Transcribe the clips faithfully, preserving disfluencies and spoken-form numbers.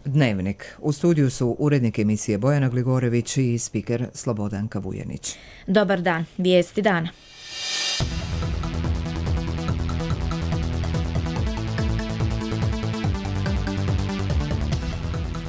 Dnevnik. U studiju su urednik emisije Bojana Gligorević i spiker Slobodanka Vujanić. Dobar dan, vijesti dana.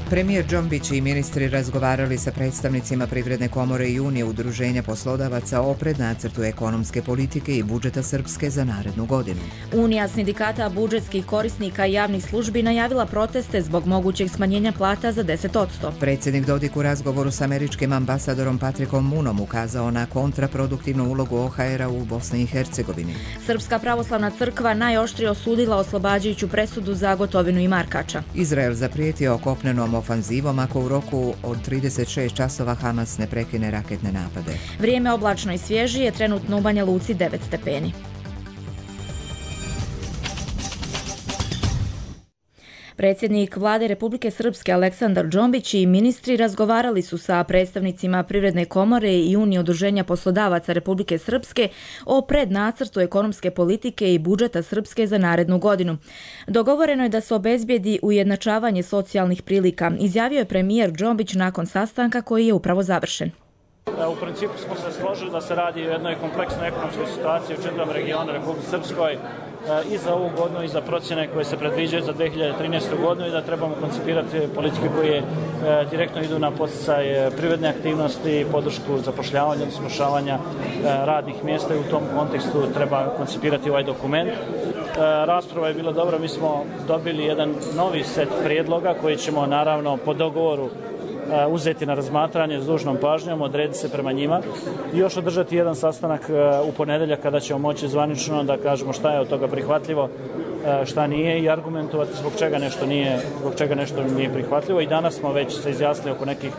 Premijer Džombić i ministri razgovarali sa predstavnicima Privredne komore i Unije udruženja poslodavaca o prednacrtu ekonomske politike i budžeta Srpske za narednu godinu. Unija sindikata budžetskih korisnika i javnih službi najavila proteste zbog mogućeg smanjenja plata za deset posto. Predsjednik Dodik u razgovoru s američkim ambasadorom Patrikom Munom ukazao na kontraproduktivnu ulogu O H R-a u Bosni i Hercegovini. Srpska pravoslavna crkva najoštrije osudila oslobađajuću presudu za Gotovinu i Markača. Izrael zaprijetio kopnenom ofanzivom ako u roku od trideset šest časova Hamas ne prekine raketne napade. Vrijeme oblačno i svježije, trenutno u Banja Luci devet stepeni. Predsjednik Vlade Republike Srpske Aleksandar Džombić i ministri razgovarali su sa predstavnicima Privredne komore i Unije udruženja poslodavaca Republike Srpske o prednacrtu ekonomske politike i budžeta Srpske za narednu godinu. Dogovoreno je da se obezbijedi ujednačavanje socijalnih prilika, izjavio je premijer Džombić nakon sastanka koji je upravo završen. U principu smo se složili da se radi o jednoj kompleksnoj ekonomskoj situaciji u čitavom regionu Republike Srpskoj i za ovu godinu i za procjene koje se predviđaju za dve hiljade trinaestu godinu i da trebamo koncipirati politike koje direktno idu na podsticaj privredne aktivnosti, podršku zapošljavanja, smušavanja radnih mjesta i u tom kontekstu treba koncipirati ovaj dokument. Rasprava je bila dobra, mi smo dobili jedan novi set prijedloga koji ćemo naravno po dogovoru uzeti na razmatranje s dužnom pažnjom, odrediti se prema njima i još održati jedan sastanak u ponedjeljak kada ćemo moći zvanično da kažemo šta je od toga prihvatljivo, šta nije i argumentovati zbog čega nešto nije, zbog čega nešto nije prihvatljivo. I danas smo već se izjasnili oko nekih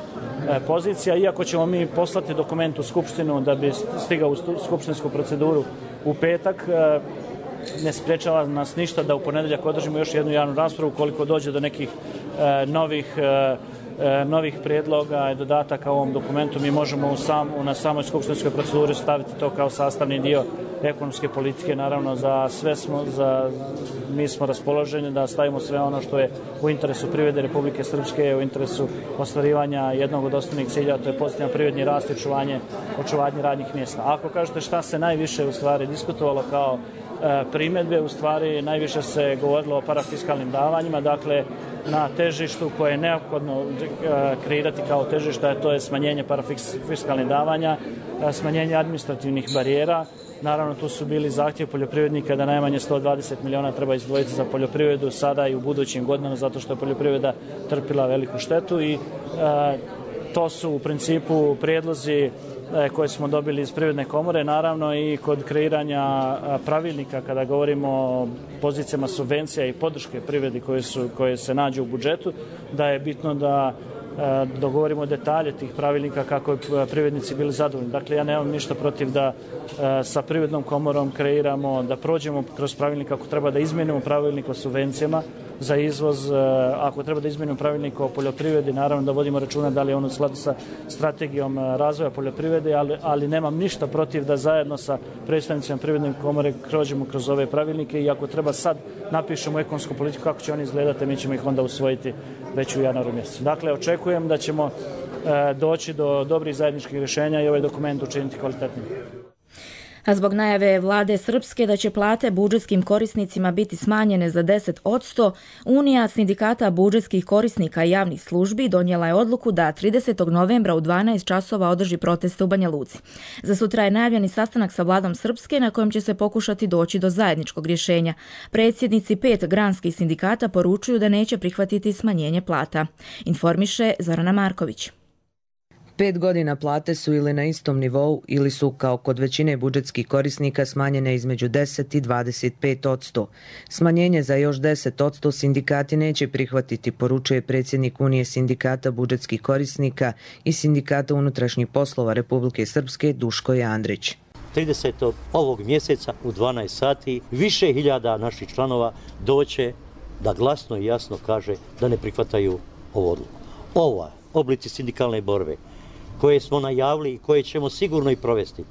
pozicija, iako ćemo mi poslati dokument u Skupštinu da bi stigao u skupštinsku proceduru u petak, ne sprečava nas ništa da u ponedjeljak održimo još jednu javnu raspravu ukoliko dođe do nekih novih novih prijedloga i dodataka ovom dokumentu. Mi možemo u sam, na samoj skupštinskoj proceduri staviti to kao sastavni dio ekonomske politike. Naravno, za sve smo, za, mi smo raspoloženi da stavimo sve ono što je u interesu privrede Republike Srpske, u interesu ostvarivanja jednog od osnovnih cilja, to je pozitivan privredni rast i očuvanje, očuvanje radnih mjesta. Ako kažete šta se najviše u stvari diskutovalo kao e, primjedbe, u stvari najviše se govorilo o parafiskalnim davanjima, dakle na težištu koje je neophodno kreirati kao težište, to je smanjenje parafiskalnih davanja, smanjenje administrativnih barijera. Naravno, tu su bili zahtjev poljoprivrednika da najmanje sto dvadeset miliona treba izdvojiti za poljoprivredu sada i u budućim godinama, zato što je poljoprivreda trpila veliku štetu i e, to su u principu prijedlozi koje smo dobili iz Privredne komore, naravno i kod kreiranja pravilnika kada govorimo o pozicijama subvencija i podrške privredi koje, su, koje se nađu u budžetu, da je bitno da dogovorimo detalje tih pravilnika kako bi privrednici bili zadovoljni. Dakle, ja nemam ništa protiv da sa Privrednom komorom kreiramo, da prođemo kroz pravilnik ako treba da izmijenimo pravilnik o subvencijama za izvoz, ako treba da izmijenimo pravilnik o poljoprivredi, naravno da vodimo računa da li je on u skladu sa strategijom razvoja poljoprivrede, ali, ali nemam ništa protiv da zajedno sa predstavnicima Privredne komore prođemo kroz ove pravilnike i ako treba sad napišemo ekonomsku politiku kako će oni izgledati, mi ćemo ih onda usvojiti već u januaru mjesecu. Dakle, očekujem da ćemo e, doći do dobrih zajedničkih rješenja i ovaj dokument učiniti kvalitetnim. A zbog najave vlade Srpske da će plate budžetskim korisnicima biti smanjene za deset posto, Unija sindikata budžetskih korisnika i javnih službi donijela je odluku da tridesetog novembra u dvanaest časova održi proteste u Banja Luci. Za sutra je najavljeni sastanak sa vladom Srpske na kojem će se pokušati doći do zajedničkog rješenja. Predsjednici pet granskih sindikata poručuju da neće prihvatiti smanjenje plata. Informiše Zorana Marković. Pet godina plate su ili na istom nivou ili su, kao kod većine budžetskih korisnika, smanjene između deset i dvadeset pet posto. Smanjenje za još deset posto sindikati neće prihvatiti, poručuje predsjednik Unije sindikata budžetskih korisnika i sindikata unutrašnjih poslova Republike Srpske Duško Jandrić. tridesetog ovog mjeseca u dvanaest sati više hiljada naših članova doće da glasno i jasno kaže da ne prihvataju ovu odluku. Ova oblici sindikalne borbe koje smo najavili i koje ćemo sigurno i provesti,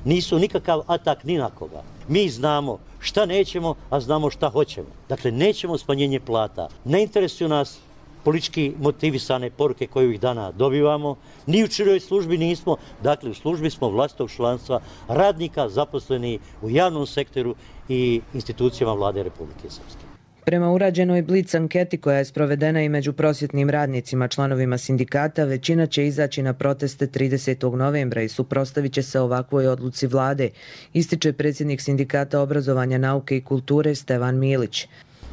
nisu nikakav atak ni na koga. Mi znamo šta nećemo, a znamo šta hoćemo. Dakle, nećemo smanjenje plata. Ne interesuju nas politički motivisane poruke koje ovih dana dobivamo. Ni u čijoj službi nismo, dakle u službi smo vlastitog članstva radnika zaposleni u javnom sektoru i institucijama vlade Republike Srpske. Prema urađenoj Blic anketi koja je sprovedena i među prosvjetnim radnicima članovima sindikata, većina će izaći na proteste tridesetog novembra i suprotstavit će se ovakvoj odluci vlade, ističe predsjednik sindikata obrazovanja, nauke i kulture Stevan Milić.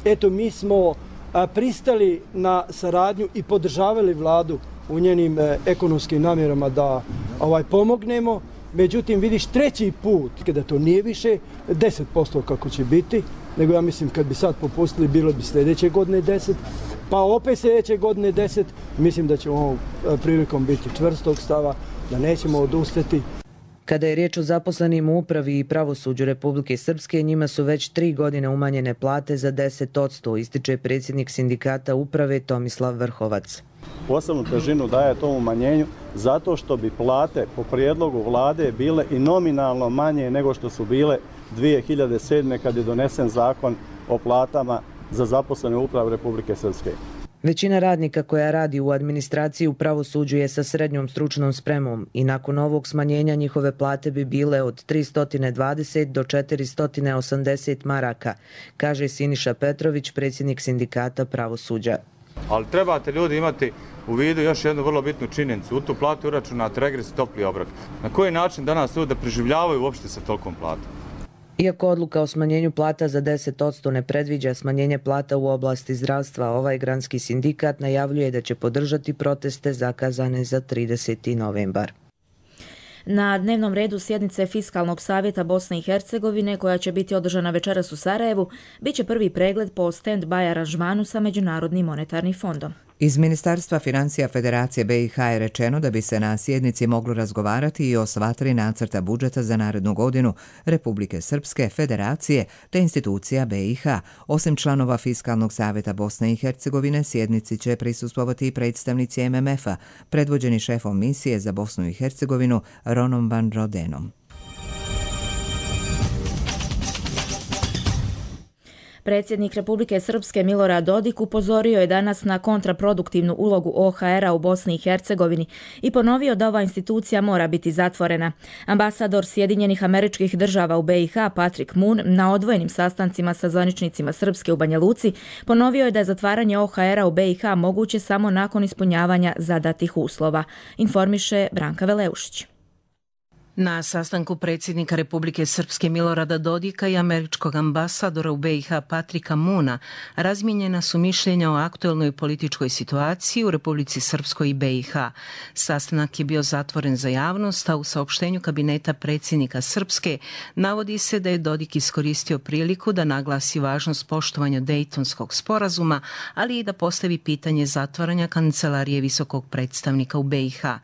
Eto, mi smo a, pristali na saradnju i podržavali vladu u njenim e, ekonomskim namjerama da ovaj pomognemo. Međutim, vidiš treći put, kada to nije više deset posto kako će biti, nego ja mislim kad bi sad popustili bilo bi sljedeće godine deset, pa opet sljedeće godine deset. Mislim da ćemo ovom prilikom biti čvrstog stava, da nećemo odustati. Kada je riječ o zaposlenim u upravi i pravosuđu Republike Srpske, njima su već tri godine umanjene plate za deset posto, ističe predsjednik sindikata uprave Tomislav Vrhovac. Posebnu težinu daje tom umanjenju zato što bi plate po prijedlogu vlade bile i nominalno manje nego što su bile dvije hiljade sedme. kad je donesen zakon o platama za zaposlene u upravi Republike Srpske. Većina radnika koja radi u administraciji u pravosuđu je sa srednjom stručnom spremom i nakon ovog smanjenja njihove plate bi bile od tristo dvadeset do četiristo osamdeset maraka, kaže Siniša Petrović, predsjednik sindikata pravosuđa. Ali trebate ljudi imati u vidu još jednu vrlo bitnu činjenicu. U tu platu uračunat regres i topli obrok. Na koji način danas ljudi preživljavaju uopšte sa tolkom platom? Iako odluka o smanjenju plata za deset posto ne predviđa smanjenje plata u oblasti zdravstva, ovaj granski sindikat najavljuje da će podržati proteste zakazane za trideseti novembar. Na dnevnom redu sjednice Fiskalnog savjeta Bosne i Hercegovine, koja će biti održana večeras u Sarajevu, bit će prvi pregled po stand-by aranžmanu sa Međunarodnim monetarnim fondom. Iz Ministarstva financija Federacije B i H je rečeno da bi se na sjednici moglo razgovarati i o sva tri nacrta budžeta za narednu godinu Republike Srpske, Federacije te institucija B i H. Osim članova Fiskalnog savjeta Bosne i Hercegovine, sjednici će prisustvovati i predstavnici M M F-a, predvođeni šefom misije za Bosnu i Hercegovinu Ronom Van Rodenom. Predsjednik Republike Srpske Milorad Dodik upozorio je danas na kontraproduktivnu ulogu O H R-a u Bosni i Hercegovini i ponovio da ova institucija mora biti zatvorena. Ambasador Sjedinjenih Američkih Država u B i H Patrick Moon na odvojenim sastancima sa zvaničnicima Srpske u Banja Luci ponovio je da je zatvaranje O H R-a u B i H moguće samo nakon ispunjavanja zadatih uslova, informiše Branka Veleušić. Na sastanku predsjednika Republike Srpske Milorada Dodika i američkog ambasadora u B i H Patrika Moona razmijenjena su mišljenja o aktuelnoj političkoj situaciji u Republici Srpskoj i B i H. Sastanak je bio zatvoren za javnost, a u saopštenju kabineta predsjednika Srpske navodi se da je Dodik iskoristio priliku da naglasi važnost poštovanja Dejtonskog sporazuma, ali i da postavi pitanje zatvaranja kancelarije visokog predstavnika u B i H.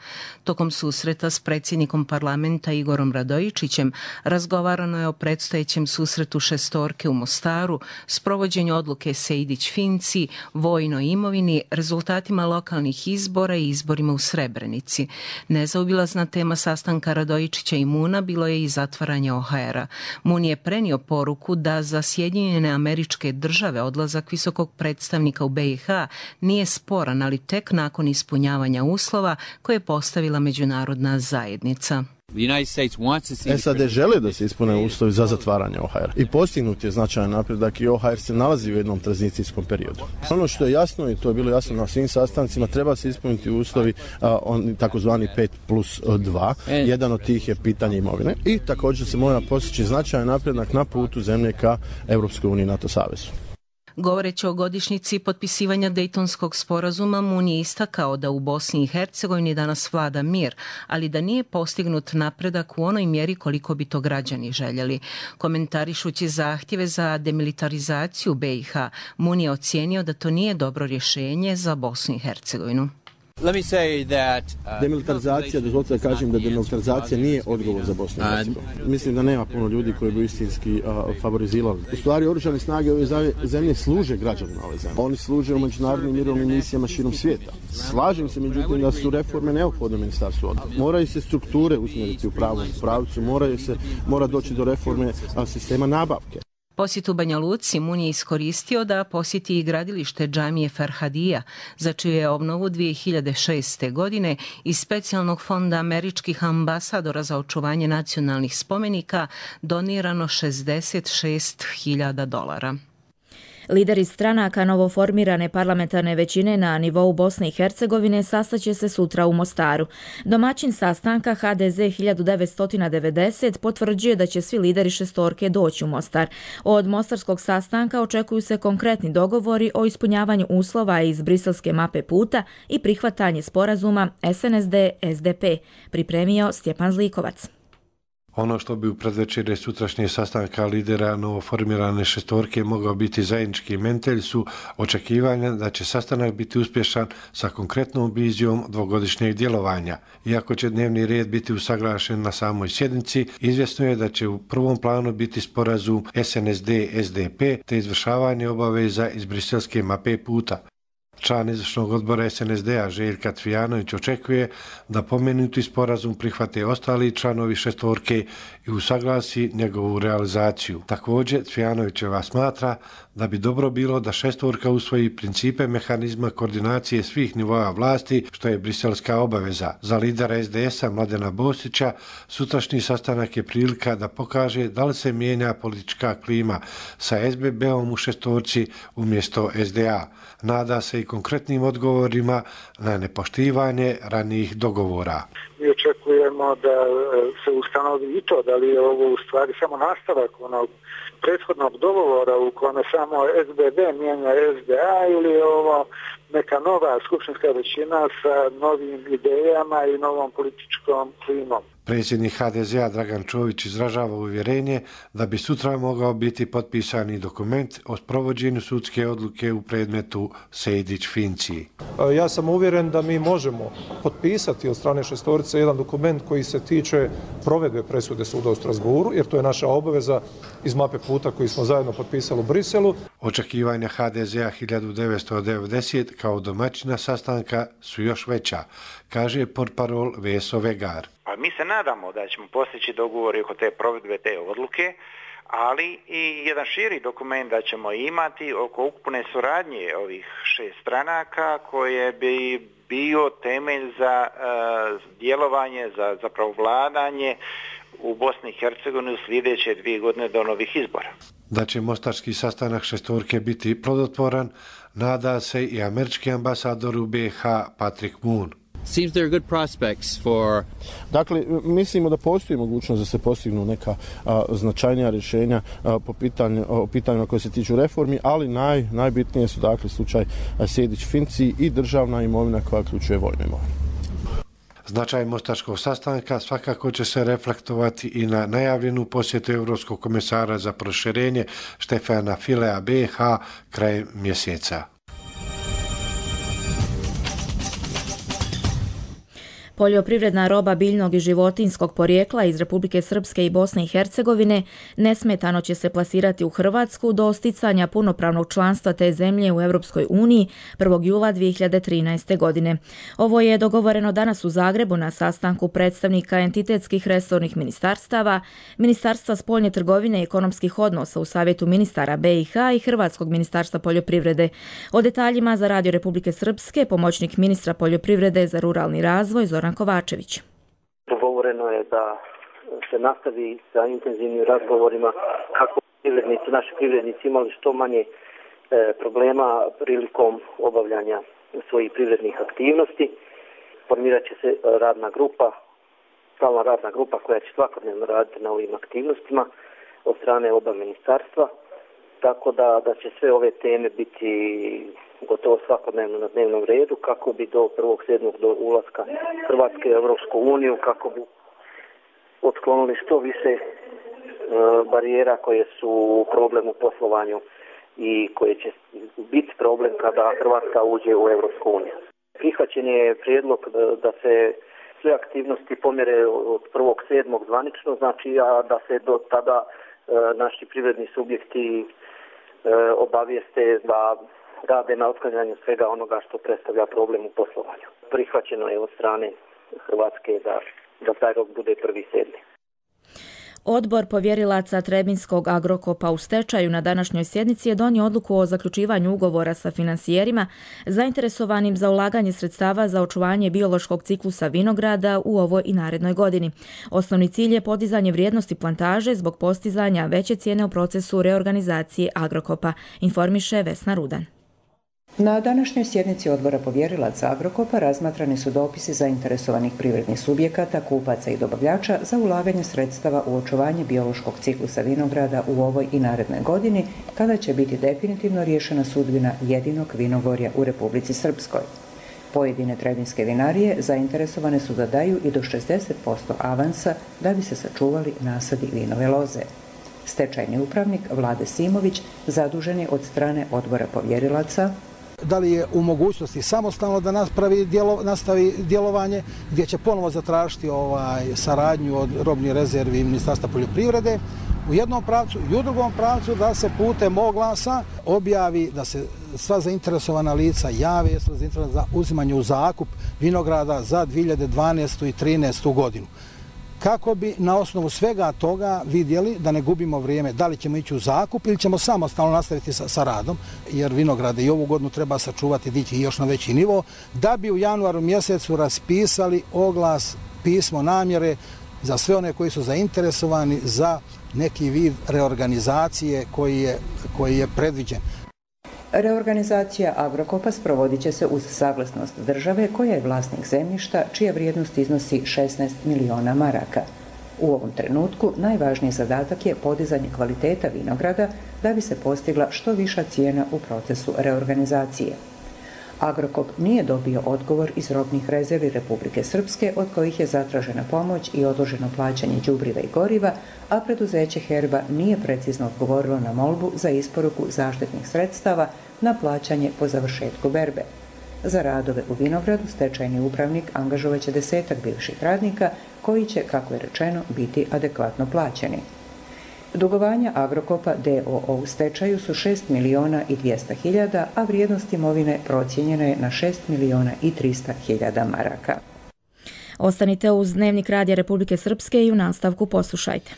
Tokom susreta s predsjednikom parlamenta Igorom Radojičićem razgovarano je o predstojećem susretu šestorke u Mostaru, sprovođenju odluke Sejdić-Finci, vojnoj imovini, rezultatima lokalnih izbora i izborima u Srebrenici. Nezaobilazna tema sastanka Radojičića i Moona bilo je i zatvaranje O H R-a. Moon je prenio poruku da za Sjedinjene Američke Države odlazak visokog predstavnika u B i H nije sporan, ali tek nakon ispunjavanja uslova koje je postavila međunarodna zajednica. S A D žele da se ispune uslovi za zatvaranje O H R. I postignut je značajan napredak i O H R se nalazi u jednom tranzicijskom periodu. Ono što je jasno, i to je bilo jasno na svim sastancima, treba se ispuniti uslovi a, on, takozvani pet plus dva. Jedan od tih je pitanje imovine. I također se mora postići značajan napredak na putu zemlje ka Europskoj uniji i NATO savezu. Govoreći o godišnjici potpisivanja Dejtonskog sporazuma, Moon je istakao da u Bosni i Hercegovini danas vlada mir, ali da nije postignut napredak u onoj mjeri koliko bi to građani željeli. Komentarišući zahtjeve za demilitarizaciju B i H, Moon je ocijenio da to nije dobro rješenje za Bosnu i Hercegovinu. Demilitarizacija, dozvolite da kažem da demilitarizacija nije odgovor za Bosnu i Hercegovinu. Mislim da nema puno ljudi koji bi istinski uh, favorizirali. U stvari, oružane snage ove zemlje služe građanima ove zemlje. Oni služe u međunarodnim mirovnim misijama širom svijeta. Slažem se, međutim, da su reforme neophodne u Ministarstvu odbrane. Moraju se strukture usmjeriti u pravom pravcu, moraju se, mora doći do reforme a, sistema nabavke. Posjet u Banja Luci Mun je iskoristio da posjeti i gradilište džamije Farhadija, za čiju je obnovu dvije hiljade šeste. godine iz specijalnog fonda američkih ambasadora za očuvanje nacionalnih spomenika donirano šezdeset šest hiljada dolara. Lideri stranaka novoformirane parlamentarne većine na nivou Bosne i Hercegovine sastaće se sutra u Mostaru. Domaćin sastanka H D Z hiljadu devetsto devedeset potvrđuje da će svi lideri šestorke doći u Mostar. Od mostarskog sastanka očekuju se konkretni dogovori o ispunjavanju uslova iz briselske mape puta i prihvatanje sporazuma S N S D S D P, pripremio Stjepan Zlikovac. Ono što bi u predvečerje sutrašnje sastanka lidera novoformirane šestorke mogao biti zajednički mentelj su očekivanja da će sastanak biti uspješan sa konkretnom vizijom dvogodišnjeg djelovanja. Iako će dnevni red biti usaglašen na samoj sjednici, izvjesno je da će u prvom planu biti sporazum S N S D S D P te izvršavanje obaveza iz briselske mape puta. Član izvršnog odbora S N S D-a Željka Cvijanović očekuje da pomenuti sporazum prihvate ostali članovi šestorke i usaglasi njegovu realizaciju. Također, Cvijanovićeva smatra da bi dobro bilo da šestorka usvoji principe mehanizma koordinacije svih nivoa vlasti, što je briselska obaveza. Za lidera S D S-a Mladena Bosića sutrašnji sastanak je prilika da pokaže da li se mijenja politička klima sa S B B-om u šestorci umjesto S D A. Nada se i konkretnim odgovorima na nepoštivanje ranijih dogovora. Mi očekujemo da se ustanovi i to, da li je ovo u stvari samo nastavak onog prethodnog dogovora u kome samo S B B mijenja S D A ili je ovo neka nova skupštinska većina sa novim idejama i novom političkom klimom. Predsjednik H D Z-a Dragan Čović izražava uvjerenje da bi sutra mogao biti potpisani dokument o sprovođenju sudske odluke u predmetu Sejdić-Finci. Ja sam uvjeren da mi možemo potpisati od strane šestorice jedan dokument koji se tiče provedbe presude suda u Strasbourgu, jer to je naša obaveza iz mape puta koji smo zajedno potpisali u Briselu. Očekivanja H D Z-a hiljadu devetsto devedeset kao domaćina sastanka su još veća, kaže portparol Veso Vegar. Pa mi se nadamo da ćemo postići dogovori oko te provedbe te odluke, ali i jedan širi dokument da ćemo imati oko ukupne suradnje ovih šest stranaka koje bi bio temelj za uh, djelovanje, za zapravo vladanje u Bosni i Hercegovini u sljedeće dvije godine do novih izbora. Da će mostarski sastanak šestorke biti plodotvoran, nada se i američki ambasador u B iH Patrick Moon. Seems there are good prospects for... Dakle, mislimo da postoji mogućnost da se postignu neka a, značajnija rješenja a, po pitanju, o pitanjima koje se tiču reformi, ali naj, najbitnije su dakle slučaj Sejdić-Finci i državna imovina koja uključuje vojnu imovinu. Značaj mostarskog sastanka svakako će se reflektovati i na najavljenu posjetu Europskog komesara za proširenje Štefana Filea B iH krajem mjeseca. Poljoprivredna roba biljnog i životinjskog porijekla iz Republike Srpske i Bosne i Hercegovine nesmetano će se plasirati u Hrvatsku do sticanja punopravnog članstva te zemlje u Europskoj uniji prvog jula dvije hiljade trinaeste. godine. Ovo je dogovoreno danas u Zagrebu na sastanku predstavnika entitetskih resornih ministarstava, Ministarstva spoljne trgovine i ekonomskih odnosa u Savjetu ministara B iH i Hrvatskog ministarstva poljoprivrede. O detaljima za Radio Republike Srpske pomoćnik ministra poljoprivrede za ruralni razvoj Zoran Kovačević. Dogovoreno je da se nastavi sa intenzivnim razgovorima kako privrednici, naši privrednici imali što manje e, problema prilikom obavljanja svojih privrednih aktivnosti. Formirat će se radna grupa, stalna radna grupa koja će svakodnevno raditi na ovim aktivnostima od strane oba ministarstva, tako da, da će sve ove teme biti gotovo svakodnevno na dnevnom redu kako bi do prvog sedmog do ulaska Hrvatske u Europsku uniju, kako bi otklonili što više e, barijera koje su problem u poslovanju i koje će biti problem kada Hrvatska uđe u Europsku uniju. Prihvaćen je prijedlog da, da se sve aktivnosti pomjere od prvog sedmog zvanično, znači a da se do tada e, naši privredni subjekti e, obavijeste da rade na otklanjanju svega onoga što predstavlja problem u poslovanju. Prihvaćeno je od strane Hrvatske da, da taj rok bude prvi sedmi. Odbor povjerilaca Trebinskog Agrokopa u stečaju na današnjoj sjednici je donio odluku o zaključivanju ugovora sa finansijerima zainteresovanim za ulaganje sredstava za očuvanje biološkog ciklusa vinograda u ovoj i narednoj godini. Osnovni cilj je podizanje vrijednosti plantaže zbog postizanja veće cijene u procesu reorganizacije Agrokopa, informiše Vesna Rudan. Na današnjoj sjednici odbora povjerilaca Agrokopa razmatrani su dopisi zainteresovanih privrednih subjekata, kupaca i dobavljača za ulaganje sredstava u očuvanje biološkog ciklusa vinograda u ovoj i narednoj godini, kada će biti definitivno riješena sudbina jedinog vinogorja u Republici Srpskoj. Pojedine trebinske vinarije zainteresovane su da daju i do šezdeset posto avansa da bi se sačuvali nasadi vinove loze. Stečajni upravnik Vlade Simović zadužen je od strane odbora povjerilaca da li je u mogućnosti samostalno da napravi djelo, nastavi djelovanje, gdje će ponovo zatražiti ovaj, saradnju od robnih rezervi Ministarstva poljoprivrede u jednom pravcu i u drugom pravcu da se putem oglasa objavi da se sva zainteresovana lica jave jesu zainteresovana za uzimanje u zakup vinograda za dvije hiljade dvanaestu i trinaestu godinu. Kako bi na osnovu svega toga vidjeli da ne gubimo vrijeme, da li ćemo ići u zakup ili ćemo samostalno nastaviti sa, sa radom, jer vinograde i ovu godinu treba sačuvati, dići još na veći nivo, da bi u januaru mjesecu raspisali oglas, pismo namjere za sve one koji su zainteresovani za neki vid reorganizacije koji je, koji je predviđen. Reorganizacija Agrokopa sprovodit će se uz saglasnost države koja je vlasnik zemljišta čija vrijednost iznosi šesnaest miliona maraka. U ovom trenutku najvažniji zadatak je podizanje kvaliteta vinograda da bi se postigla što viša cijena u procesu reorganizacije. Agrokop nije dobio odgovor iz robnih rezervi Republike Srpske od kojih je zatražena pomoć i odloženo plaćanje đubriva i goriva, a preduzeće Herba nije precizno odgovorilo na molbu za isporuku zaštitnih sredstava na plaćanje po završetku berbe. Za radove u vinogradu stečajni upravnik angažovaće desetak bivših radnika koji će, kako je rečeno, biti adekvatno plaćeni. Dugovanja Agrokopa d o o u stečaju su šest miliona i dvjesto hiljada, a vrijednost imovine procijenjena je na šest miliona i tristo hiljada maraka. Ostanite uz Dnevnik Radija Republike Srpske i u nastavku poslušajte.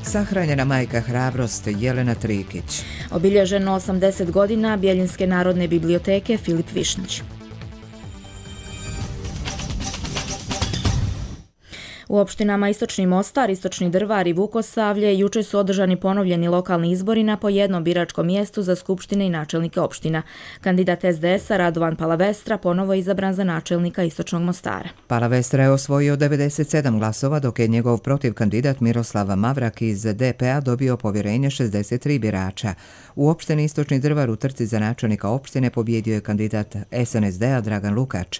Sahranjena majka hrabrost Jelena Trikić. Obilježeno osamdeset godina Bjeljinske narodne biblioteke Filip Višnjić. U opštinama Istočni Mostar, Istočni Drvar i Vukosavlje juče su održani ponovljeni lokalni izbori na po jednom biračkom mjestu za skupštine i načelnike opština. Kandidat es de es-a Radovan Palavestra ponovo je izabran za načelnika Istočnog Mostara. Palavestra je osvojio devedeset sedam glasova, dok je njegov protiv kandidat Miroslav Mavrak iz de pe a dobio povjerenje šezdeset tri birača. U opštini Istočni Drvar u trci za načelnika opštine pobjedio je kandidat es en es de a Dragan Lukač.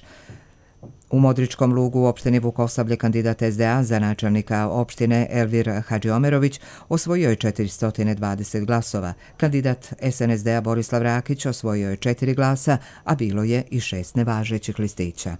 U Modričkom Lugu u opštini Vukosavlje kandidat es de a za načelnika opštine Elvir Hadžiomerović osvojio je četiristo dvadeset glasova. Kandidat es en es de a Borislav Rakić osvojio je četiri glasa, a bilo je i šest nevažećih listića.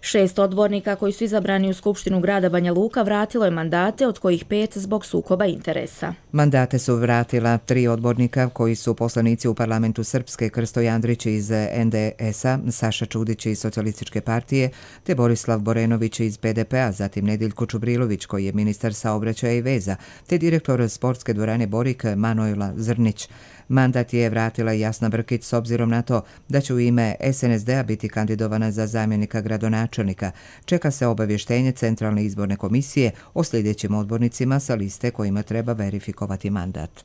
Šest odbornika koji su izabrani u Skupštinu grada Banja Luka vratilo je mandate, od kojih pet zbog sukoba interesa. Mandate su vratila tri odbornika koji su poslanici u parlamentu Srpske, Krsto Jandrić iz en de es-a, Saša Čudić iz Socijalističke partije, te Borislav Borenović iz pe de pe a, zatim Nediljko Čubrilović koji je ministar saobraćaja i veza, te direktor sportske dvorane Borik Manojla Zrnić. Mandat je vratila Jasna Brkić s obzirom na to da će u ime es en es de a biti kandidovana za zamjenika gradonačelnika. Čeka se obavještenje Centralne izborne komisije o sljedećim odbornicima sa liste kojima treba verifikovati mandat.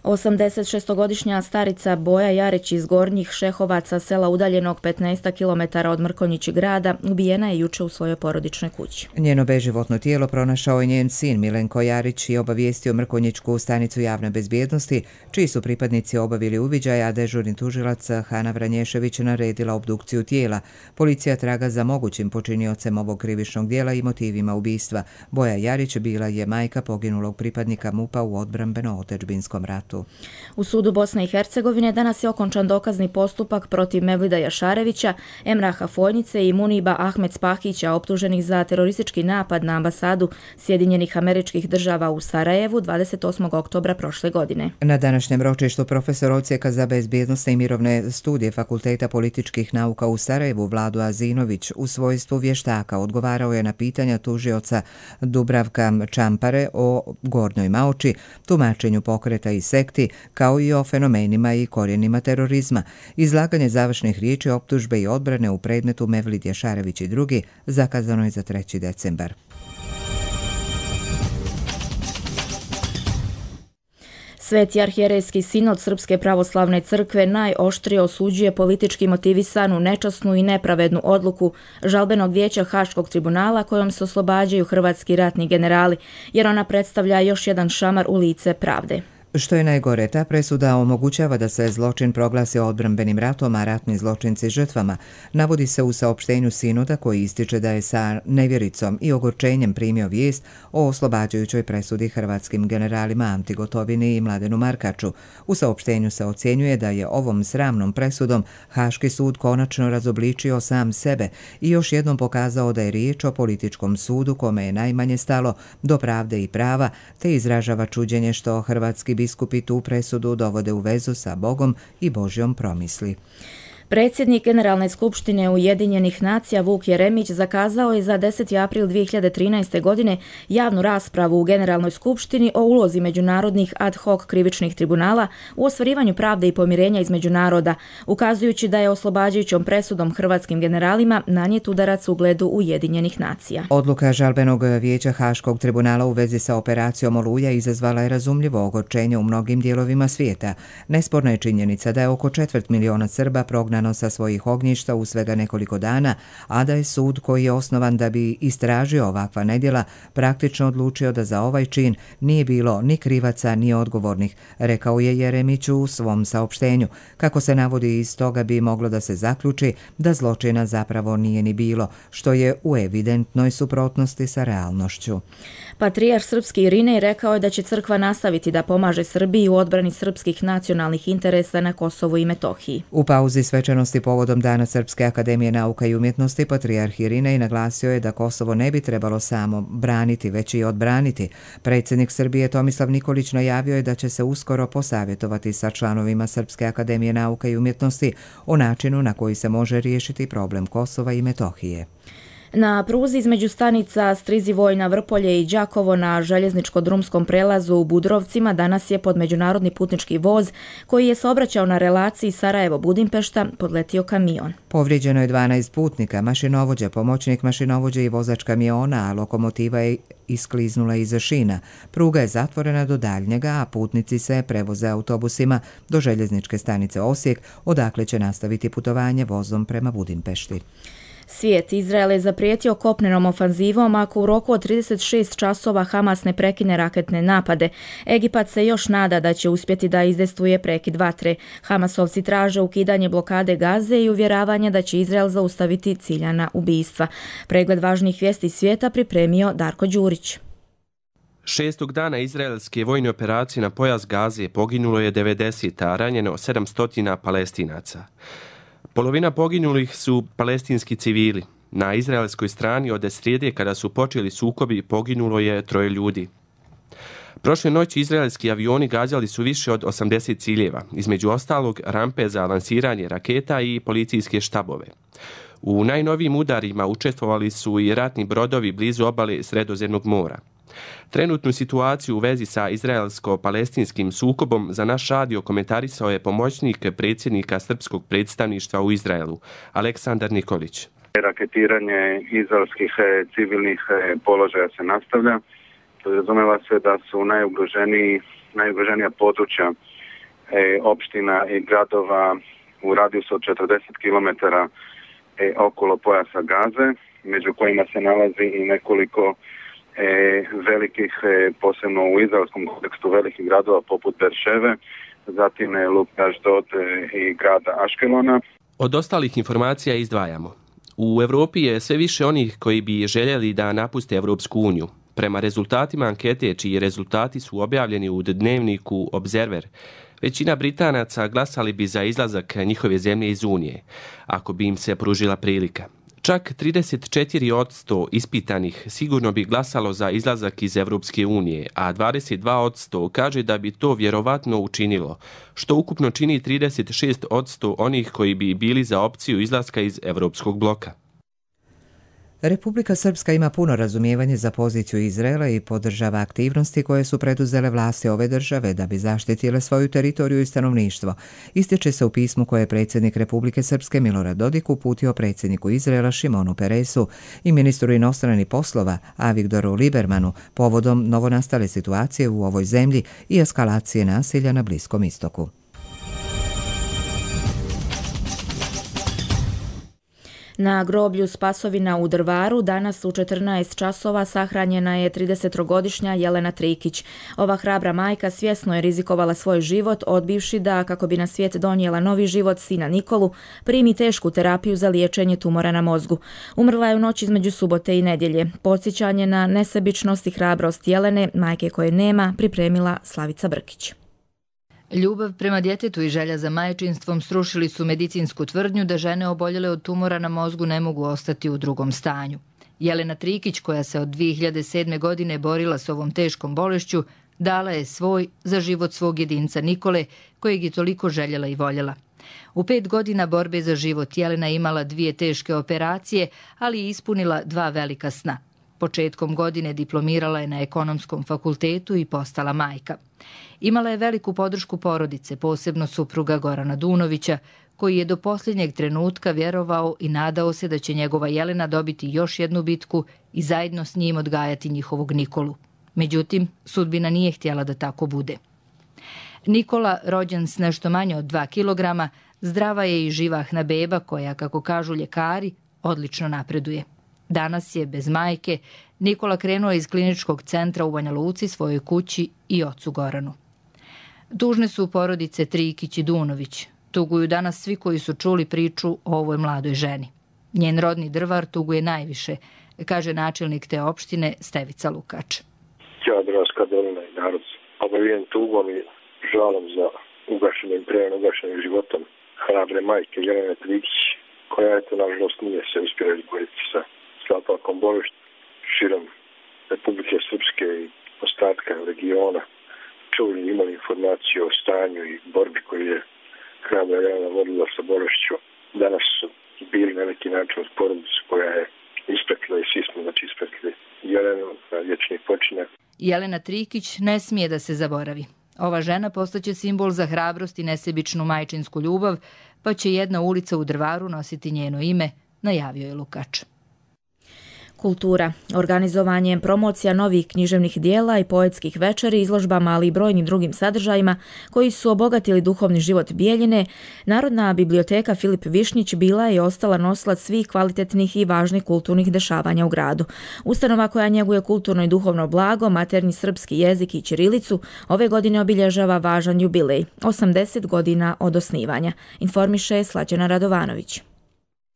osamdeset šestogodišnja starica Boja Jarić iz Gornjih Šehovaca, sela udaljenog petnaest kilometara od Mrkonjići grada, ubijena je juče u svojoj porodičnoj kući. Njeno beživotno tijelo pronašao je njen sin Milenko Jarić i obavijestio Mrkonjićku stanicu javne bezbjednosti, čiji su pripadnici obavili uviđaj, a dežurni tužilac Hana Vranješević naredila obdukciju tijela. Policija traga za mogućim počiniocem ovog krivičnog dijela i motivima ubistva. Boja Jarić bila je majka poginulog pripadnika MUP-a u odbrambeno-otadžbinskom ratu. ratu. U sudu Bosne i Hercegovine danas je okončan dokazni postupak protiv Mevlida Jašarevića, Emraha Fojnice i Muniba Ahmed Spahića, optuženih za teroristički napad na ambasadu Sjedinjenih Američkih Država u Sarajevu dvadeset osmog oktobra prošle godine. Na današnjem ročištu profesor odsjeka za bezbjednosne i mirovne studije Fakulteta političkih nauka u Sarajevu Vlado Azinović u svojstvu vještaka odgovarao je na pitanja tužioca Dubravka Čampare o Gornjoj Maoči, tumačenju pokreta i sekti, kao i o fenomenima i korijenima terorizma. Izlaganje završnih riječi, optužbe i odbrane u predmetu Mevlid Jašarević i drugi zakazano je za treći decembar. Sveti arhijerejski sinod Srpske pravoslavne crkve najoštrije osuđuje politički motivisanu, nečasnu i nepravednu odluku žalbenog vijeća Haškog tribunala kojom se oslobađaju hrvatski ratni generali, jer ona predstavlja još jedan šamar u lice pravde. Što je najgore, ta presuda omogućava da se zločin proglasi odbrambenim ratom, a ratni zločinci žrtvama. Navodi se u saopštenju sinoda koji ističe da je sa nevjericom i ogorčenjem primio vijest o oslobađajućoj presudi hrvatskim generalima Anti Gotovini i Mladenu Markaču. U saopštenju se ocjenjuje da je ovom sramnom presudom Haški sud konačno razobličio sam sebe i još jednom pokazao da je riječ o političkom sudu kome je najmanje stalo do pravde i prava, te izražava čuđenje što hrvatski biskupi tu presudu dovode u vezu sa Bogom i Božjom promisli. Predsjednik Generalne skupštine Ujedinjenih nacija Vuk Jeremić zakazao je za deseti april dvije hiljade trinaeste. godine javnu raspravu u Generalnoj skupštini o ulozi međunarodnih ad hoc krivičnih tribunala u ostvarivanju pravde i pomirenja između naroda, ukazujući da je oslobađajućom presudom hrvatskim generalima nanijet udarac ugledu Ujedinjenih nacija. Odluka žalbenog vijeća Haškog tribunala u vezi sa operacijom Oluja izazvala je razumljivo ogorčenje u mnogim dijelovima svijeta. Nesporna je činjenica da je oko četvrt miliona Srba prognano sa svojih ognjišta u svega nekoliko dana, a da je sud koji je osnovan da bi istražio ovakva nedjela praktično odlučio da za ovaj čin nije bilo ni krivaca ni odgovornih, rekao je Jeremić u svom saopštenju. Kako se navodi, iz toga bi moglo da se zaključi da zločina zapravo nije ni bilo, što je u evidentnoj suprotnosti sa realnošću. Patrijarh srpski Irinej rekao je da će crkva nastaviti da pomaže Srbiji u odbrani srpskih nacionalnih interesa na Kosovu i Metohiji. U pauzi svečanosti povodom Dana Srpske akademije nauka i umjetnosti patrijarh Irinej naglasio je da Kosovo ne bi trebalo samo braniti, već i odbraniti. Predsjednik Srbije Tomislav Nikolić najavio je da će se uskoro posavjetovati sa članovima Srpske akademije nauka i umjetnosti o načinu na koji se može riješiti problem Kosova i Metohije. Na pruzi između stanica Strizivojna, Vrpolje i Đakovo na željezničko-drumskom prelazu u Budrovcima danas je pod međunarodni putnički voz koji je saobraćao na relaciji Sarajevo-Budimpešta podletio kamion. Povrijeđeno je dvanaest putnika, mašinovođa, pomoćnik mašinovođe i vozač kamiona, a lokomotiva je iskliznula iza šina. Pruga je zatvorena do daljnjega, a putnici se prevoze autobusima do željezničke stanice Osijek, odakle će nastaviti putovanje vozom prema Budimpešti. Svijet, Izrael je zaprijetio kopnenom ofanzivom ako u roku od trideset šest časova Hamas ne prekine raketne napade. Egipat se još nada da će uspjeti da izdejstvuje prekid vatre. Hamasovci traže ukidanje blokade Gaze i uvjeravanje da će Izrael zaustaviti ciljana ubistva. Pregled važnih vijesti svijeta pripremio Darko Đurić. Šestog dana izraelske vojne operacije na pojas Gaze poginulo je devedeset, a ranjeno sedamsto Palestinaca. Polovina poginulih su palestinski civili. Na izraelskoj strani od srijede kada su počeli sukobi poginulo je troje ljudi. Prošle noći izraelski avioni gađali su više od osamdeset ciljeva, između ostalog rampe za lansiranje raketa i policijske štabove. U najnovijim udarima učestvovali su i ratni brodovi blizu obale Sredozemnog mora. Trenutnu situaciju u vezi sa izraelsko-palestinskim sukobom za naš radio komentarisao je pomoćnik predsjednika srpskog predstavništva u Izraelu, Aleksandar Nikolić. Raketiranje izraelskih civilnih položaja se nastavlja. Podrazumeva se da su najugroženiji, najugroženija područja opština i gradova u radijusu od četrdeset kilometara okolo pojasa Gaze, među kojima se nalazi i nekoliko E, velikih, e, posebno u izraelskom kontekstu velikih gradova poput Berševe, zatim e, Luk Ašdod e, i grada Aškelona. Od ostalih informacija izdvajamo. U Europi je sve više onih koji bi željeli da napuste Evropsku uniju. Prema rezultatima ankete, čiji rezultati su objavljeni u dnevniku Observer, većina Britanaca glasali bi za izlazak njihove zemlje iz Unije, ako bi im se pružila prilika. Čak trideset četiri posto ispitanih sigurno bi glasalo za izlazak iz Evropske unije, a dvadeset dva posto kaže da bi to vjerovatno učinilo, što ukupno čini trideset šest posto onih koji bi bili za opciju izlaska iz Evropskog bloka. Republika Srpska ima puno razumijevanje za poziciju Izraela i podržava aktivnosti koje su preduzele vlasti ove države da bi zaštitile svoju teritoriju i stanovništvo. Ističe se u pismu koje je predsjednik Republike Srpske Milorad Dodik uputio predsjedniku Izraela Šimonu Peresu i ministru inostranih poslova Avigdoru Libermanu povodom novonastale situacije u ovoj zemlji i eskalacije nasilja na Bliskom istoku. Na groblju Spasovina u Drvaru danas u četrnaest časova sahranjena je tridesetogodišnja Jelena Trikić. Ova hrabra majka svjesno je rizikovala svoj život, odbivši da, kako bi na svijet donijela novi život sina Nikolu, primi tešku terapiju za liječenje tumora na mozgu. Umrla je u noć između subote i nedjelje. Podsjećanje na nesebičnost i hrabrost Jelene, majke koje nema, pripremila Slavica Brkić. Ljubav prema djetetu i želja za majčinstvom srušili su medicinsku tvrdnju da žene oboljele od tumora na mozgu ne mogu ostati u drugom stanju. Jelena Trikić, koja se od dvije hiljade sedme. godine borila s ovom teškom bolešću, dala je svoj za život svog jedinca Nikole, kojeg je toliko željela i voljela. U pet godina borbe za život Jelena je imala dvije teške operacije, ali je ispunila dva velika sna. Početkom godine diplomirala je na ekonomskom fakultetu i postala majka. Imala je veliku podršku porodice, posebno supruga Gorana Dunovića, koji je do posljednjeg trenutka vjerovao i nadao se da će njegova Jelena dobiti još jednu bitku i zajedno s njim odgajati njihovog Nikolu. Međutim, sudbina nije htjela da tako bude. Nikola, rođen s nešto manje od dva kilograma, zdrava je i živahna beba koja, kako kažu ljekari, odlično napreduje. Danas je, bez majke, Nikola krenuo iz kliničkog centra u Banja Luci svojoj kući i ocu Goranu. Tužne su porodice Trikić i Dunović. Tuguju danas svi koji su čuli priču o ovoj mladoj ženi. Njen rodni Drvar tuguje najviše, kaže načelnik te opštine Stevica Lukač. Ja, Dravska dolina i narod, obavijen tugom i žalom za ugašenim, prejeno ugašenim životom hrabre majke Jelene Trikić, koja eto, nažalost, nije se uspjela izboriti sa slapakom bolešću širom Republike Srpske i ostatka regiona. Čuli imali informaciju o stanju i borbi koju je hrabra Jelena vodila sa bolešću. Danas su bili na neki način uz porodicu koja je ispekla i svi smo znači ispekli Jelenu na vječni počinak. Jelena Trikić ne smije da se zaboravi. Ova žena postaće simbol za hrabrost i nesebičnu majčinsku ljubav, pa će jedna ulica u Drvaru nositi njeno ime, najavio je Lukač. Kultura. Organizovanjem promocija novih književnih dijela i poetskih večeri, izložbama, ali i brojnim drugim sadržajima koji su obogatili duhovni život Bijeljine, Narodna biblioteka Filip Višnjić bila je i ostala nosilac svih kvalitetnih i važnih kulturnih dešavanja u gradu. Ustanova koja njeguje kulturno i duhovno blago, maternji srpski jezik i ćirilicu, ove godine obilježava važan jubilej, osamdeset godina od osnivanja, informiše Slađana Radovanović.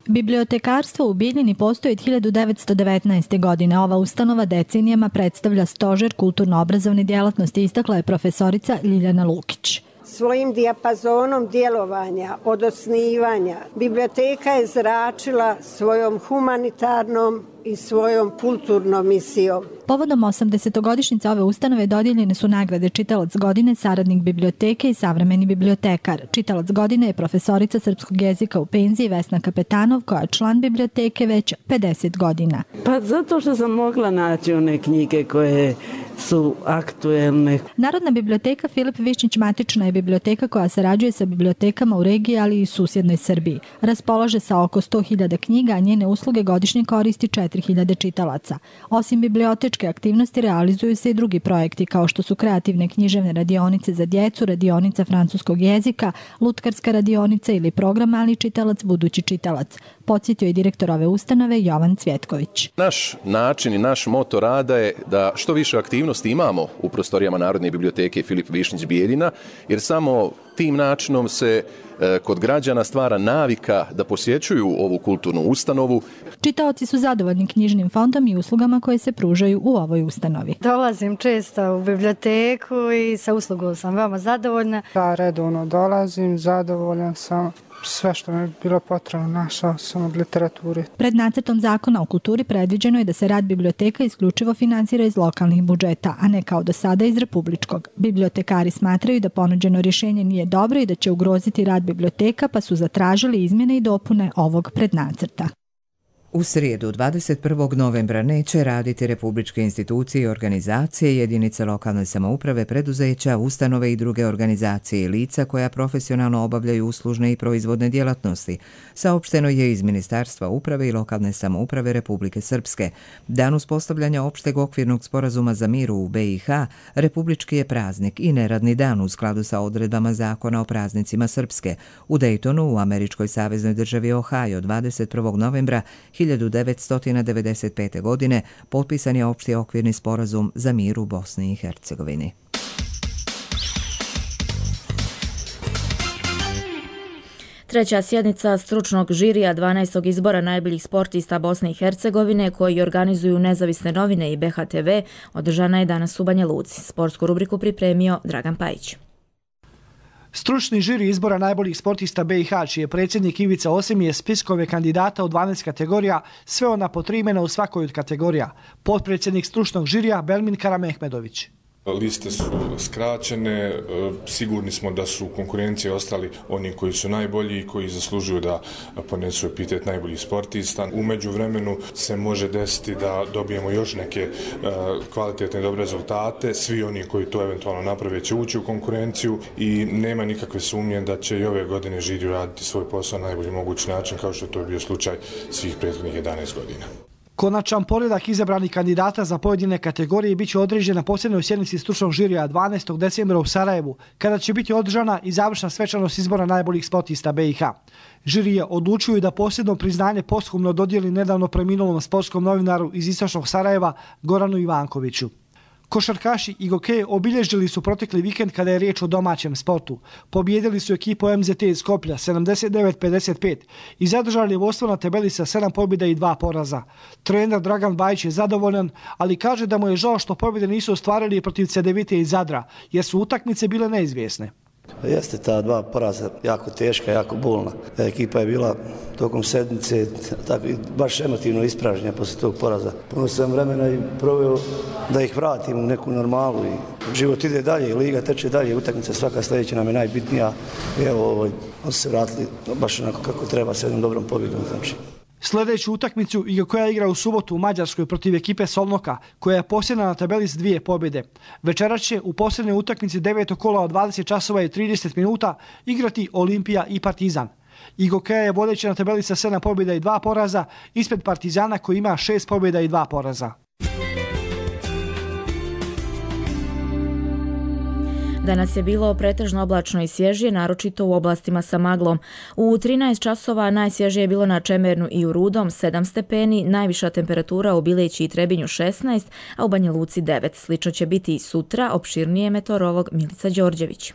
Bibliotekarstvo u Bijeljini postoji od hiljadu devetsto devetnaeste. godine. Ova ustanova decenijama predstavlja stožer kulturno-obrazovne djelatnosti, istakla je profesorica Ljiljana Lukić. Svojim dijapazonom djelovanja od osnivanja biblioteka je zračila svojom humanitarnom i svojom kulturnom misijom. Povodom osamdesetogodišnjice ove ustanove dodijeljene su nagrade Čitalac godine, saradnik biblioteke i savremeni bibliotekar. Čitalac godine je profesorica srpskog jezika u penziji Vesna Kapetanov, koja je član biblioteke već pedeset godina. Pa zato što sam mogla naći one knjige koje su aktuelne. Narodna biblioteka Filip Višnjić matična je biblioteka koja sarađuje sa bibliotekama u regiji, ali i susjednoj Srbiji. Raspolaže sa oko sto hiljada knjiga, a njene usluge godišnje koristi četiri hiljade čitalaca. Osim bibliotečke aktivnosti realizuju se i drugi projekti, kao što su kreativne književne radionice za djecu, radionica francuskog jezika, lutkarska radionica ili program Mali čitalac, budući čitalac. Podsjetio je direktor ove ustanove Jovan Cvjetković. Naš način i naš moto rada je da što više aktivnosti imamo u prostorijama Narodne biblioteke Filip Višnjić Bijeljina, jer samo Tim načinom se kod građana stvara navika da posjećuju ovu kulturnu ustanovu. Čitaoci su zadovoljni knjižnim fondom i uslugama koje se pružaju u ovoj ustanovi. Dolazim često u biblioteku i sa uslugom sam veoma zadovoljna. Ja redovno dolazim, zadovoljan sam. Sve što mi je bilo potrebno našao sam od literaturi. Pred nacrtom zakona o kulturi predviđeno je da se rad biblioteka isključivo finansira iz lokalnih budžeta, a ne kao do sada iz republičkog. Bibliotekari smatraju da ponuđeno rješenje nije dobro i da će ugroziti rad biblioteka, pa su zatražili izmjene i dopune ovog prednacrta. U srijedu dvadeset prvog novembra neće raditi republičke institucije i organizacije, jedinice lokalne samouprave, preduzeća, ustanove i druge organizacije i lica koja profesionalno obavljaju uslužne i proizvodne djelatnosti, saopšteno je iz Ministarstva uprave i lokalne samouprave Republike Srpske. Dan uspostavljanja opšteg okvirnog sporazuma za mir u B i H republički je praznik i neradni dan u skladu sa odredbama Zakona o praznicima Srpske. U Daytonu, u američkoj saveznoj državi Ohio, dvadeset prvog novembra hiljadu devetsto devedeset pete. godine potpisan je opšti okvirni sporazum za mir u Bosni i Hercegovini. Treća sjednica stručnog žirija dvanaestog izbora najboljih sportista Bosne i Hercegovine koji organizuju nezavisne novine i B H T V održana je danas u Banja Luci. Sportsku rubriku pripremio Dragan Pajić. Stručni žiri izbora najboljih sportista B i H, čiji je predsjednik Ivica Osim, je spiskove kandidata u dvanaest kategorija sveo na po tri imena u svakoj od kategorija. Potpredsjednik stručnog žirija Belmin Karamehmedović. Liste su skraćene, sigurni smo da su u konkurenciji ostali oni koji su najbolji i koji zaslužuju da ponesu epitet najboljih sportista. U međuvremenu se može desiti da dobijemo još neke kvalitetne dobre rezultate. Svi oni koji to eventualno naprave će ući u konkurenciju i nema nikakve sumnje da će i ove godine žiri raditi svoj posao na najbolji mogući način, kao što je to bio slučaj svih prethodnih jedanaest godina. Konačan poredak izabranih kandidata za pojedine kategorije biće određen na posljednjoj sjednici stručnog žirija dvanaestog decembra u Sarajevu, kada će biti održana i završna svečanost izbora najboljih sportista B i H. Žirije odlučuju da posljedno priznanje posthumno dodijeli nedavno preminulom sportskom novinaru iz istočnog Sarajeva Goranu Ivankoviću. Košarkaši i gokeje obilježili su protekli vikend kada je riječ o domaćem sportu. Pobijedili su ekipu M Z T iz Skoplja sedamdeset devet pedeset pet i zadržali vodstvo na tabeli sa sedam pobjeda i dva poraza. Trener Dragan Bajić je zadovoljan, ali kaže da mu je žao što pobjede nisu ostvarili protiv Cedevite iz Zadra, jer su utakmice bile neizvjesne. Jeste ta dva poraza jako teška, jako bolna. Ekipa je bila tokom sedmice tako, baš emotivno ispražnjena poslije tog poraza. Puno sam vremena i proveo da ih vratim u neku normalu i život ide dalje, liga teče dalje, utakmica svaka sljedeća nam je najbitnija. I evo, ovo, se vratili baš onako kako treba s jednom dobrom pobjedom. Znači. Sljedeću utakmicu koja igra u subotu u Mađarskoj protiv ekipe Solnoka, koja je posljedna na tabeli s dvije pobjede. Večeras će u posljednjoj utakmici devetog kola od dvadeset časova i trideset minuta igrati Olimpija i Partizan. Igokeja je vodeća na tabeli sa sedam pobjeda i dva poraza, ispred Partizana koji ima šest pobjeda i dva poraza. Danas je bilo pretežno oblačno i svježije, naročito u oblastima sa maglom. U trinaest časova najsvježije je bilo na Čemernu i u Rudom sedam stepeni, najviša temperatura u Bileći i Trebinju šesnaest, a u Banja Luci devet. Slično će biti i sutra, opširnije meteorolog Milica Đorđević.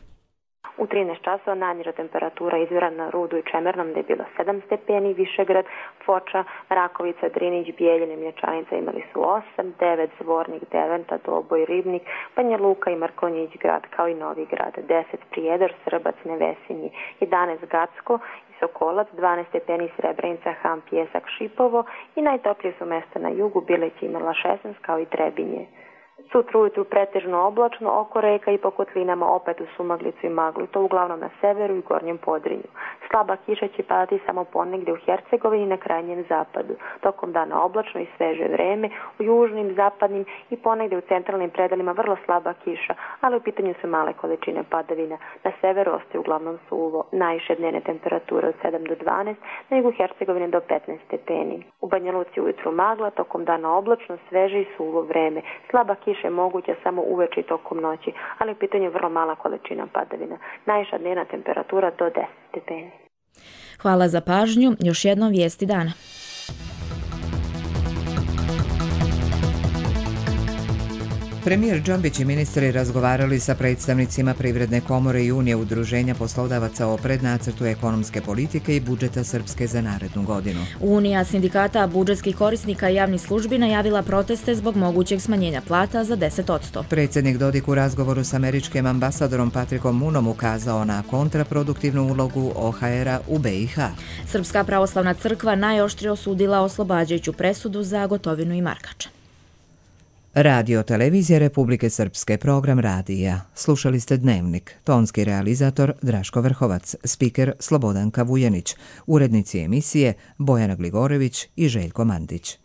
U trinaest časova najniža temperatura izvira na Rudu i Čemernom gdje je bilo sedam stepeni, Višegrad, Foča, Rakovica, Drinić, Bijeljine, Mlječanica imali su osam, devet, Zvornik, Deventa, Doboj, Ribnik, Banja Luka i Mrkonjić grad kao i Novi grad, deset, Prijedor, Srbac, Nevesinji, jedanaest, Gacko i Sokolac, dvanaest stepeni, Srebrenica, Ham, Pjesak, Šipovo i najtoplije su mjesta na jugu, Bileć imala šesnaest kao i Trebinje. Sutra ujutru pretežno oblačno, oko reka i po kotlinama opet u sumaglicu i maglu, to uglavnom na severu i gornjem Podrinju. Slaba kiša će padati samo ponegdje u Hercegovini i na krajnjem zapadu. Tokom dana oblačno i sveže vreme, u južnim, zapadnim i ponegdje u centralnim predelima vrlo slaba kiša, ali u pitanju su male količine padavina. Na severu ostaje uglavnom suvo, najviše dnevne temperature od sedam do dvanaest, na jugu Hercegovine do petnaest stepeni. U Banja Luci ujutru magla, tokom dana oblačno, sveže i suvo vreme. Slaba kiša je moguća samo uveče i tokom noći, ali u pitanju vrlo mala količina padavina. Najviša dnevna temperatura do deset stepeni. Hvala za pažnju. Još jednom vijesti dana. Premijer Džambić i ministri razgovarali sa predstavnicima Privredne komore i Unije udruženja poslodavaca o prednacrtu ekonomske politike i budžeta Srpske za narednu godinu. Unija sindikata budžetskih korisnika i javnih službi najavila proteste zbog mogućeg smanjenja plata za deset posto. Predsjednik Dodik u razgovoru s američkim ambasadorom Patrikom Munom ukazao na kontraproduktivnu ulogu O H R-a u B i H. Srpska pravoslavna crkva najoštrije osudila oslobađajuću presudu za Gotovinu i Markača. Radio Televizija Republike Srpske, program radija. Slušali ste Dnevnik. Tonski realizator Draško Vrhovac, spiker Slobodanka Vujanić, urednici emisije Bojana Gligorević i Željko Mandić.